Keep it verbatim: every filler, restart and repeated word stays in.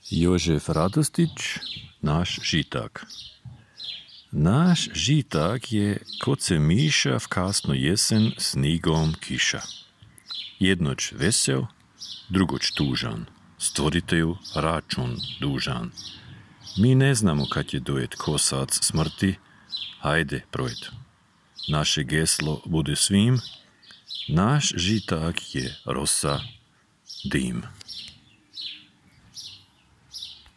Jožef Radostić, naš žitak. Naš žitak je koce miša v kasno jesen snigom kiša. Jednoć vesel, drugoć tužan, stvoriteju račun dužan. Mi ne znamo kad je dojet kosac smrti, hajde projed. Naše geslo bude svim, naš žitak je rosa, dim.